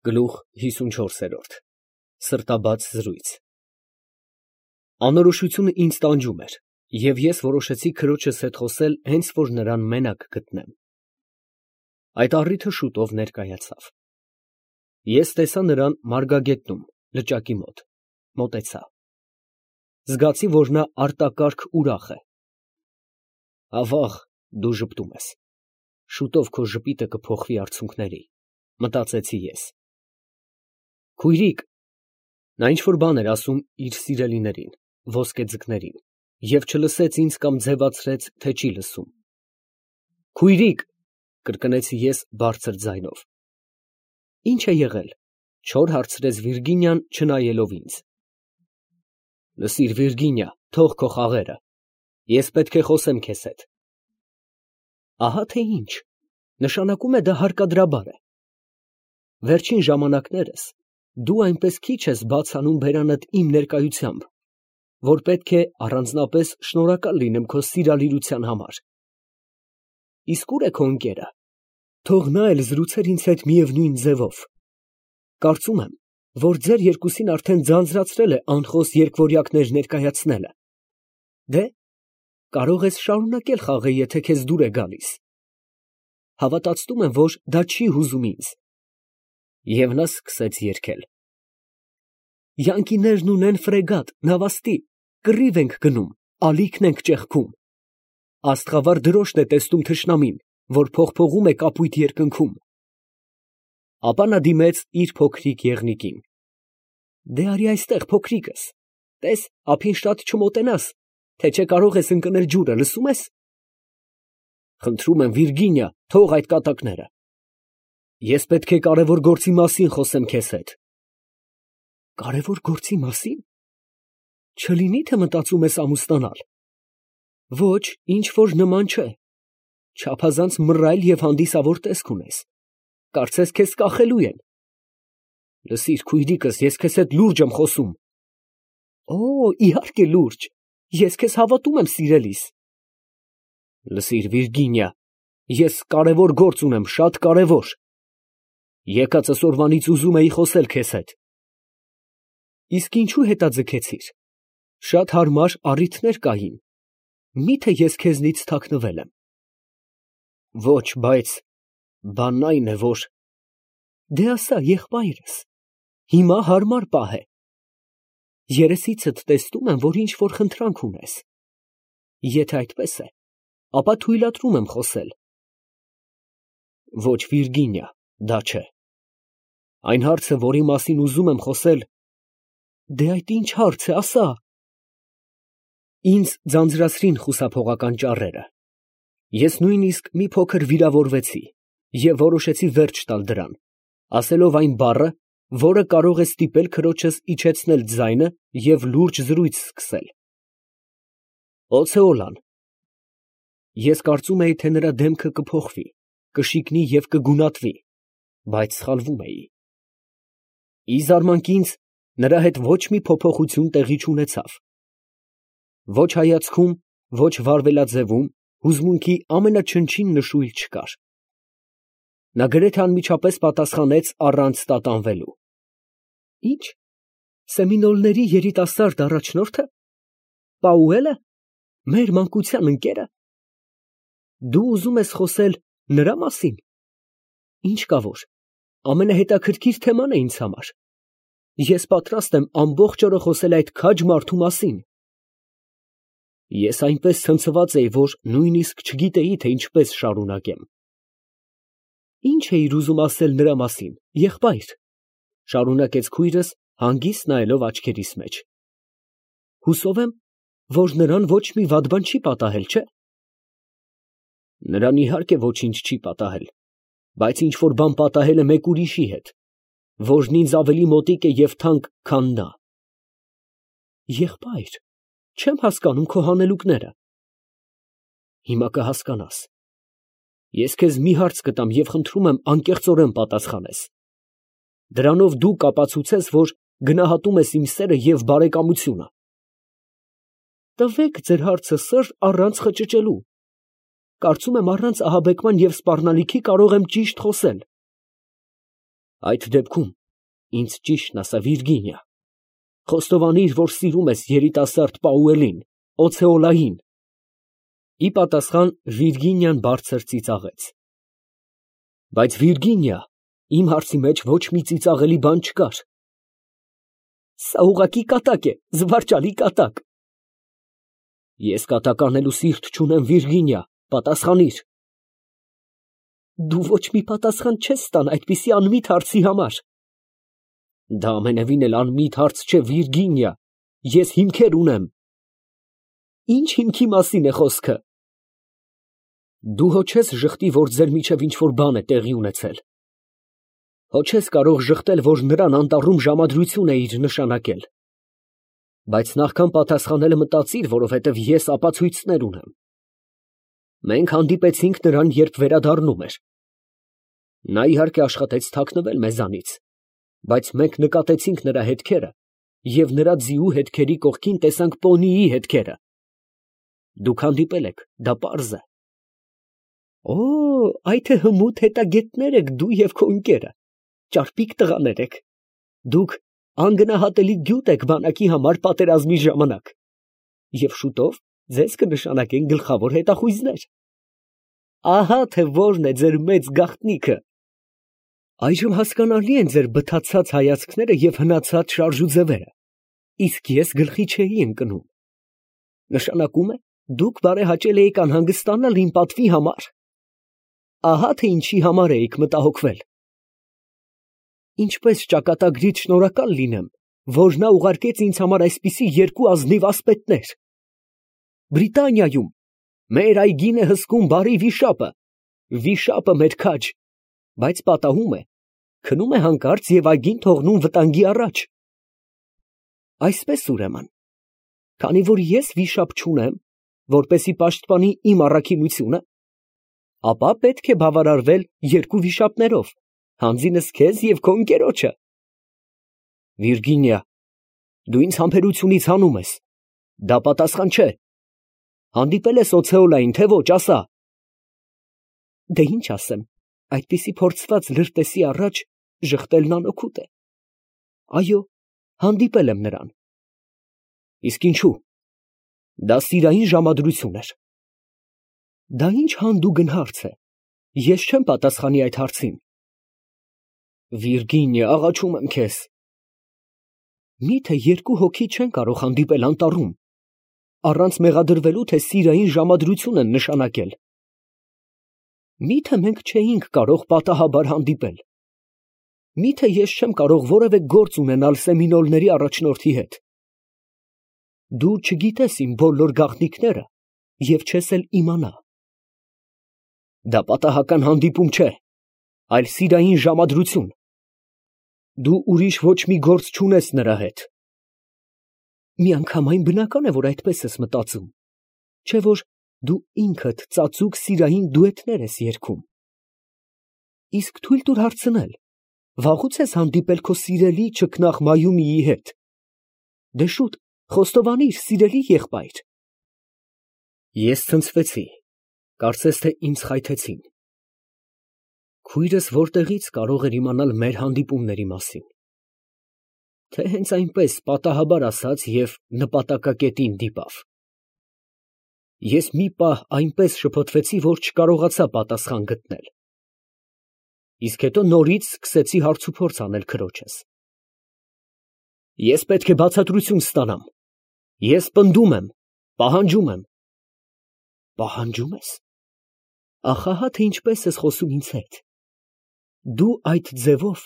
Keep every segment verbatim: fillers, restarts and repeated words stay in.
Գլուխ հիսունչորսերորդ Սրտաբաց զրույց Անորոշությունը ինձ տանջում էր, և ես որոշեցի քրոջս հետ խոսել հենց որ նրան մենակ գտնեմ։ Այդ առիթը շուտով ներկայացավ։ Ես տեսա նրան մարգագետնում, լճակի մոտ, մոտեցա։ Զգացի, որ նա արտակարգ ուրախ է։ Ավաղ, դու ժպտում ես, շուտով քո ժպիտը կփոխվի արցունքների, մտածեցի ես։ Քույրիկ, նա ինչ-որ բան էր ասում իր սիրելիներին, ոսկեձկներին, և չլսեց ինձ կամ ձևացրեց, թե չի լսում։ Քույրիկ, կրկնեցի ես բարձր ձայնով։ Ի՞նչ է եղել, չոր հարցրեց Վիրգինիան, չնայելով ինձ։ Լսիր, Վիրգինիա, թող քո խաղերը, ես պետք է խոսեմ քեզ հետ։ Ահա թե ինչ, նշանակում է դա հարկադրաբար է։ Վերջին ժամանակներս դու այնպես քիչ ես բաց անում բերանդ իմ ներկայությամբ, որ պետք է առանձնապես շնորհակալ լինեմ քո սիրալիրության համար։ Իսկ ո՞ւր է քո ընկերը, թող նա էլ զրուցեր ինձ հետ միևնույն ձևով։ Կարծում եմ, որ ձեր երկուսին արդեն ձանձրացրել է անխոս երկվորյակներ ներկայացնելը։ Դե, կարող ես շարունակել խաղը, եթե քեզ դուր է գալիս։ Հավատացնում եմ, որ դա չի հուզում ինձ։ Եվ նա սկսեց երգել. Յանկիներն ունեն ֆրեգատ, նավաստի, կռիվ ենք գնում, ալիքն ենք ճեղքում։ Աստղավար դրոշն է տեսնում թշնամին, որ փողփողում է կապույտ երկնքում։ Ապա նա դիմեց իր փոքրիկ եղնիկին. Դե արի այստեղ, փոքրիկս, տես, ափին շատ չմոտենաս, թե չէ կարող ես ընկնել ջուրը, լսում ես։ Խնդրում եմ, Վիրգինիա, թող այդ կատակները։ Ես պետք է կարևոր գործի մասին խոսեմ քեզ հետ։ Կարևոր գործի մասին։ Չլինի թե մտածում ես ամուսնանալ։ Ոչ, ինչ որ նման չէ։ Չափազանց մռայլ և հանդիսավոր տեսք ունես։ Կարծես քեզ կախելու են։ Լսիր, քույրիկս, ես քեզ հետ լուրջ եմ խոսում։ Օ, իհարկե լուրջ, ես քեզ հավատում եմ սիրելիս։ Լսիր, Վիրգինիա, ես կարևոր գործ ունեմ, շատ կարևոր։ Եկածս օրվանից ուզում էի խոսել քեզ հետ։ Իսկ ինչու հետաձգեցիր։ Շատ հարմար առիթներ կային։ Միթե ես քեզնից թաքնվել եմ։ Ոչ, բայց բանն այն է, որ դե ասա, եղբայրս, հիմա հարմար պահ է։ Երեսիցդ տեսնում եմ, որ ինչ որ խնդրանք ունես։ Եթե այդպես է, ապա թույլատրում եմ խոսել։ Ոչ, Վիրգինիա, դա չէ։ Այն հարցը, որի մասին ուզում եմ խոսել, դե այդ ինչ հարց է, ասա։ Ինձ ձանձրացրին խուսափողական ճառերը։ Ես նույնիսկ մի փոքր վիրավորվեցի և որոշեցի վերջ տալ դրան, ասելով այն բառը, որը կարող է ստիպել քրոջս իջեցնել ձայնը և լուրջ զրույց սկսել։ Օցեոլան։ Ես կարծում էի, թե նրա դեմքը կփոխվի, կշիկնի և կգունատվի, բայց սխալվում էի։ Ի զարմանք ինձ, նրա հետ ոչ մի փոփոխություն տեղի չունեցավ։ Ոչ հայացքում, ոչ վարվելաձևում հուզմունքի ամենաչնչին նշույլ չկար։ Նա գրեթե անմիջապես պատասխանեց առանց տատանվելու. Ի՞նչ, Սեմինոլների երիտասարդ առաջնորդը, Պաուելը, մեր մանկության ընկերը։ Դու ուզում ես խոսել նրա մասին։ Ինչ կա որ, ամենահետաքրքիր թեման է ինձ համար։ Ես պատրաստ եմ ամբողջ օրը խոսել այդ քաջ մարդու մասին։ Ես այնպես ցնցված էի, որ նույնիսկ չգիտեի, թե ինչպես շարունակեմ։ Ինչ էիր ուզում ասել նրա մասին, եղբայր, շարունակեց քույրս, հանգիստ նայելով աչքերիս մեջ։ Հուսով եմ, որ նրան ոչ մի վատ բան չի պատահել, չէ։ Նրան իհարկե ոչինչ չի պատահել, բայց ինչ որ բան պատահել է մեկ ուրիշի հետ, որն ինձ ավելի մոտիկ է և թանկ, քան նա։ Եղբայր, չեմ հասկանում քո հանելուկները։ Հիմա կհասկանաս։ Ես քեզ մի հարց կտամ և խնդրում եմ անկեղծորեն պատասխանես։ Դրանով դու կապացուցես, որ գնահատում ես իմ սերը և բարեկամությունը։ Տվեք ձեր հարցը, սըր, առանց խճճելու։ Կարծում եմ առանց ահաբեկման և սպառնալիքի կարող եմ ճիշտ խոսել։ Այդ դեպքում ինձ ճիշտն ասա, Վիրգինիա, խոստովանիր, որ սիրում ես երիտասարդ Պաուելին, Օցեոլային։ Ի պատասխան Վիրգինիան բարձր ծիծաղեց։ Բայց Վիրգինիա, իմ հարցի մեջ ոչ մի ծիծաղելի բան չկար։ Սա ուղղակի կատակ է, զվարճալի կատակ։ Ես կատակ անելու սիրտ չունեմ, Վիրգինիա, պատասխանիր։ Դու ոչ մի պատասխան չես տան այդպիսի անմիտ հարցի համար։ Դա ամենևին էլ անմիտ հարց չէ, Վիրգինիա, ես հիմքեր ունեմ։ Ինչ հիմքի մասին է խոսքը։ Դու հո չես ժխտի, որ ձեր միջև ինչ-որ բան է տեղի ունեցել։ Հո չես կարող ժխտել, որ նրան անտառում ժամադրություն էիր նշանակել։ Բայց նախքան պատասխանելը մտածիր, որովհետև ես ապացույցներ ունեմ։ Մենք հանդիպեցինք նրան, երբ վերադառնում էր։ Նա իհարկե աշխատեց թաքնվել մեզանից, բայց մենք նկատեցինք նրա հետքերը և նրա ձիու հետքերի կողքին տեսանք պոնիի հետքերը։ Դուք հանդիպել եք, դա պարզ է։ Օ, այ թե հմուտ հետագետներ եք դու և քո ընկերը, ճարպիկ տղաներ եք։ Դուք անգնահատելի գյուտ եք բանակի համար պատերազմի ժամանակ, և շուտով ձեզ կնշանակեն գլխավոր հետախույզներ։ Ահա թե որն է ձեր մեծ գաղտնիքը։ Այժմ հասկանալի են ձեր բթացած հայացքները և հնացած շարժուձևերը, իսկ ես գլխի չէի ընկնում։ Նշանակում է, դուք բարեհաճել էիք անհանգստանալ իմ պատվի համար։ Ահա թե ինչի համար էիք մտահոգվել։ Ինչպես ճակատագրիդ շնորհակալ լինեմ, որ նա ուղարկեց ինձ համար այսպիսի երկու ազնիվ ասպետներ։ Բրիտանիայում մեր այգին է հսկում բարի վիշապը, վիշապը մեր քաջ, բայց պատահում է, քնում է հանկարծ և այգին թողնում վտանգի առաջ։ Այսպես ուրեմն, քանի որ ես վիշապ չունեմ, որպեսի պաշտպանի իմ առաքինությունը, ապա պետք է բավարարվել երկու վիշապներով, հանձինս քեզ և քո ընկերոջը։ Վիրգինիա, դու ինձ համբերությունից հանում ես, դա պատասխան չէ։ Հանդիպել ես Օցեոլային, թե ոչ, ասա։ Դե ինչ ասեմ, այդպիսի փորձված լրտեսի առաջ ժխտելն անօգուտ է։ Այո, հանդիպել եմ նրան։ Իսկ ինչու։ Դա սիրային ժամադրություն էր։ Դա ինչ հանդուգն հարց է, ես չեմ պատասխանի այդ հարցին։ Վիրգինիա, աղաչում եմ քեզ։ Միթե երկու հոգի չեն կարող հանդիպել անտառում, առանց մեղադրվելու, թե սիրային ժամադրություն են նշանակել։ Միթե մենք չէինք կարող պատահաբար հանդիպել։ Միթե ես չեմ կարող որևէ գործ ունենալ Սեմինոլների առաջնորդի հետ։ Դու չգիտես իմ բոլոր գաղտնիքները և չես էլ իմանա։ Դա պատահական հանդիպում չէ, այլ սիրային ժամադրություն։ Դու ուրիշ ոչ մի գործ չունես նրա հետ։ Միանգամայն բնական է, որ այդպես ես մտածում, չէ՞ որ դու ինքդ ծածուկ սիրային դուետներ ես երգում։ Իսկ թույլ տուր հարցնել, վաղուց ես հանդիպել քո սիրելի չքնաղ Մայումիի հետ։ Դե շուտ, խոստովանիր, սիրելի եղբայր։ Ես ցնցվեցի, կարծես թե ինձ խայթեցին։ Քույրս որտեղից կարող էր իմանալ մեր հանդիպումների մասին։ Թե հենց այնպես պատահաբար ասաց և նպատակակետին դիպավ։ Ես մի պահ այնպես շփոթվեցի, որ չկարողացա պատասխան գտնել։ Իսկ հետո նորից սկսեցի հարցուփորձ անել քրոջս։ Ես պետք է բացատրություն ստանամ։ Ես պնդում եմ, պահանջում եմ։ Պահանջում ես։ Ախ, ահա թե ինչպես ես խոսում ինձ հետ։ Դու այդ ձևով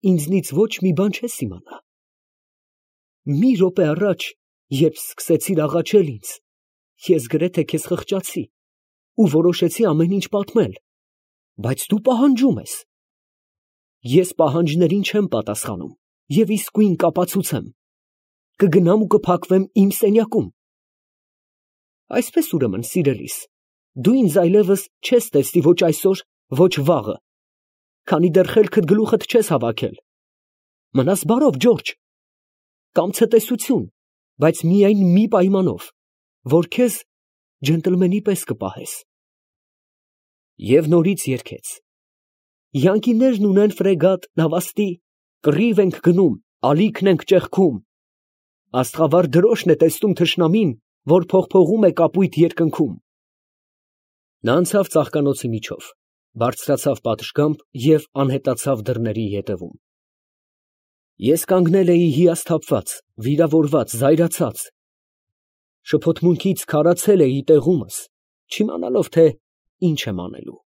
ինձնից ոչ մի բան չես իմանա։ Մի րոպե առաջ, երբ սկսեցիր աղաչել ինձ, ես գրեթե քեզ խղճացի ու որոշեցի ամեն ինչ պատմել, բայց դու պահանջում ես։ Ես պահանջներին չեմ պատասխանում և իսկույն կապացուցեմ։ Կգնամ ու կփակվեմ իմ սենյակում։ Այսպես ուրեմն, սիրելիս, դու ինձ այլևս չես տեսնի ոչ այսօր, ոչ վաղը, քանի դեռ խելքդ գլուխդ չես հավաքել։ Մնաս բարով, Ջորջ։ Կամ ցտեսություն, բայց միայն մի պայմանով, որ քեզ ջենտլմենի պես կպահես։ Եվ նորից երգեց։ յանկիներն ունեն ֆրեգատ, նավաստի, կռիվ ենք գնում, ալիքն ենք ճեղքում, աստղավար դրոշն է տեսնում թշնամին, որ փողփողում է կապույտ երկնքում։ Նա անցավ ծաղկանոցի միջով, բարձրացավ պատշգամբ և անհետացավ դռների ետևում։ Ես կանգնել էի հիասթափված, վիրավորված, զայրացած, շփոթմունքից քարացել էի տեղումս, չիմանալով, թե ինչ եմ անելու։